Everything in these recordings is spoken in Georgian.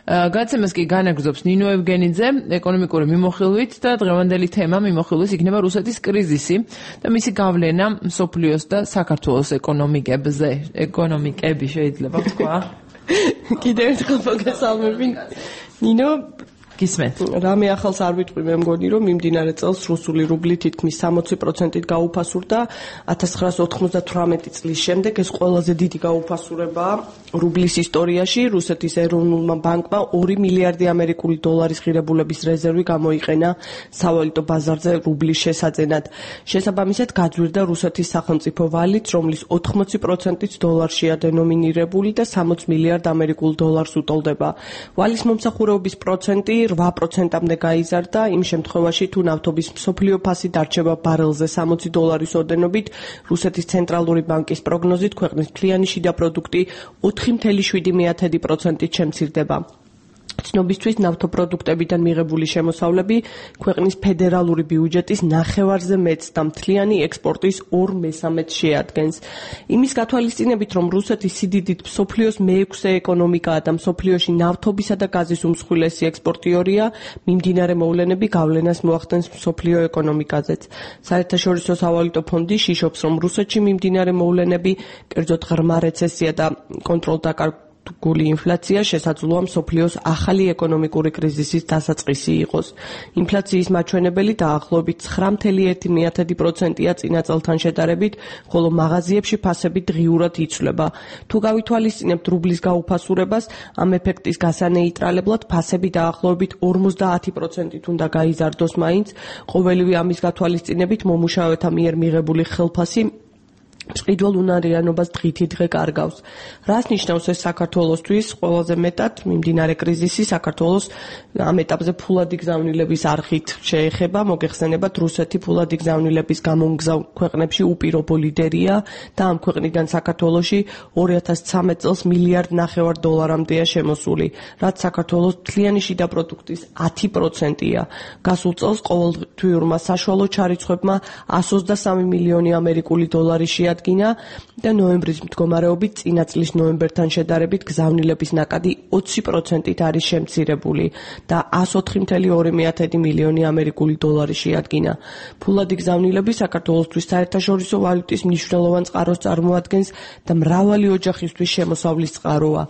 გაცემას კი განაგრძობს ნინო ევგენიძე ეკონომიკური მიმოხილვით და დღევანდელი თემა მიმოხილვის იქნება რუსეთის კრიზისი და მისი გავლენა მსოფლიოს და საქართველოს ეკონომიკები შეიძლება თქვა. კიდევ ერთხელ მოგესალმები. ნინო გისმენთ. რამე ახალს არ ვიტყვი მე მგონი რომ მიმდინარე წელს რუსული რუბლი თითქმის 60%-ით გაუფასურდა 1998 წლის შემდეგ ეს ყველაზე დიდი გაუფასურებაა რუბლის ისტორიაში. რუსეთის ეროვნულმა ბანკმა 2 მილიარდი ამერიკული დოლარის ღირებულების რეზერვი გამოიყენა სავალუტო ბაზარზე რუბლის შესაძენად. შესაბამისად გაძვირდა რუსეთის სახელმწიფო ვალიც, რომლის 80%-იც დოლარშია დენომინირებული და 60 მილიარდ ამერიკულ დოლარს უტოლდება. ვალის მომსახურეობის პროცენტი 8%-მდე გაიზარდა იმ შემთხვევაში, თუ ნავთობის მსოფლიო ფასი დარჩება ბარელზე $60 ოდენობით. რუსეთის ცენტრალური ბანკის პროგნოზით ქვეყნის მთლიანი შიდა პროდუქტი 4,7%-ით შემცირდება. ცნობისთვის ნავთობპროდუქტებიდან მიღებული შემოსავლები ქვეყნის ფედერალური ბიუჯეტის ნახევარზე მეტს და მთლიანი ექსპორტის 2/3-ს შეადგენს. იმის გათვალისწინებით, რომ რუსეთი სიდიდით მსოფლიოს მე-6 ეკონომიკაა და მსოფლიოში ნავთობისა და გაზის უმსხვილესი ექსპორტიორია, მიმდინარე მოვლენები გავლენას მოახდენს მსოფლიო ეკონომიკაზეც. საერთაშორისო სავალუტო ფონდი შიშობს, რომ რუსეთში მიმდინარე მოვლენები, კერძოდ ღრმა რეცესია და კონტროლდაკარგული ინფლაცია შესაძლოა მსოფლიოს ახალი ეკონომიკური კრიზისის დასაწყისი იყოს. ინფლაციის მაჩვენებელი დაახლოებით 9,1%-ია წინა წელთან შედარებით, ხოლო მაღაზიებში ფასები დღიურად იცვლება. თუ გავითვალისწინებთ რუბლის გაუფასურებას, ამ ეფექტის გასანეიტრალებლად ფასები დაახლოებით 50%-ით უნდა გაიზარდოს მაინც. ყოველივე ამის გათვალისწინებით მომუშავეთა მიერ მიღებული ხელფასი მწყიდველ უნარიანობას დღითი დღე კარგავს. რას ნიშნავს ეს საქართველოსთვის? ყველაზე მეტად მიმდინარე კრიზისი საქართველოს ამ ეტაპზე ფულადი გზავნილების არხით შეეხება. მოგეხსენებათ, რუსეთი ფულადი გზავნილების გამომგზავ ქვეყნებში უპირობო ლიდერია და ამ ქვეყნიდან საქართველოში 2013 წელს $1,5 მილიარდამდეა შემოსული, რაც საქართველოს მთლიანი შიდა პროდუქტის 10%-ია. გასულ წელს ყოველთვიურმა საშუალო ჩარიცხვებმა 123 მილიონი ამერიკული დოლარი შეადგინა და ნოემბრის მდგომარეობით წინა წლის ნოემბერთან შედარებით გზავნილების ნაკადი 20%-ით არის შემცირებული და 104,2 მილიონი ამერიკული დოლარი შეადგინა. ფულადი გზავნილები საქართველოსთვის საერთაშორისო ვალუტის მნიშვნელოვან წყაროს წარმოადგენს და მრავალი ოჯახისთვის შემოსავლის წყაროა.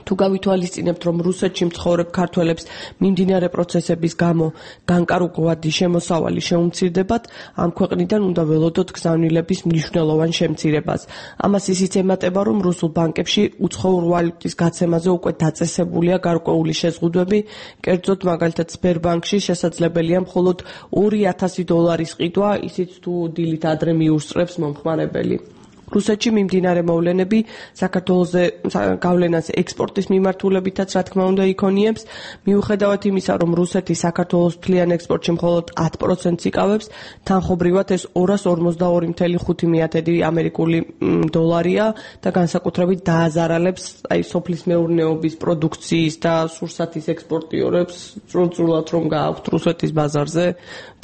თუ გავითვალისწინებთ, რომ რუსეთში მცხოვრებ ქართველებს მიმდინარე პროცესების გამო განკარგვადი შემოსავალი შეუმცირდებათ, ამ ქვეყნიდან უნდა ველოდოთ გზავნილების მნიშვნელოვან შემცირებას. ამას ისიც ემატება, რომ რუსულ ბანკებში უცხოურ ვალუტის გაცემაზე უკვე დაწესებულია გარკვეული შეზღუდვები, კერძოდ მაგალითად სბერბანკში შესაძლებელია მხოლოდ $2,000 ყიდვა, ისიც თუ დილით ადრე მიუსწრებს მომხმარებელი. რუსეთში მიმდინარე მოვლენები საქართველოზე გავლენას ექსპორტის მიმართულებითაც რა თქმა უნდა იქონიებს. მიუხედავად იმისა, რომ რუსეთი საქართველოს მთლიან ექსპორტში მხოლოდ 10%-ს იკავებს, თანხობრივად ეს 242,5 ამერიკული დოლარია და განსაკუთრებით დააზარალებს სოფლის მეურნეობის პროდუქციის და სურსათის ექსპორტიორებს წრუწრულად რომ გააქვთ რუსეთის ბაზარზე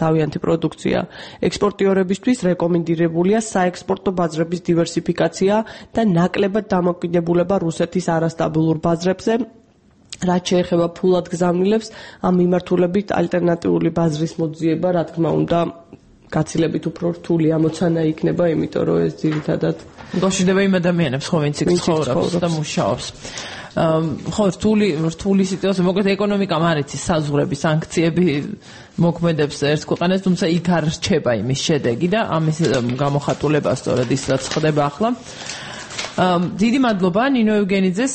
თავიანთი პროდუქცია. ექსპორტიორებისთვის რეკომენდირებულია საექსპორტო ბაზრების დივერსიფიკაცია და ნაკლებად დამოკიდებულება რუსეთის არასტაბილურ ბაზრებზე. რაც შეეხება ფულად გზავნილებს, ამ მიმართულებით ალტერნატიული ბაზრის მოძიება, რა თქმა უნდა, გაცილებით უფრო რთული ამოცანა იქნება, იმიტომ რომ ეს ძირითადად გაშიდება იმ ადამიანებს, ვინც იქ ცხოვრობს და მუშაობს. ხო, რთული სიტუაცია, მოკლედ ეკონომიკამ არ იცის საზღვრები, სანქციები მოქმედებს ერთ ქვეყანას, თუმცა იქ არ რჩება იმის შედეგი და ამის გამოხატულება სწორედ ის რაც ხდება ახლა. დიდი მადლობა ნინო ევგენიძეს.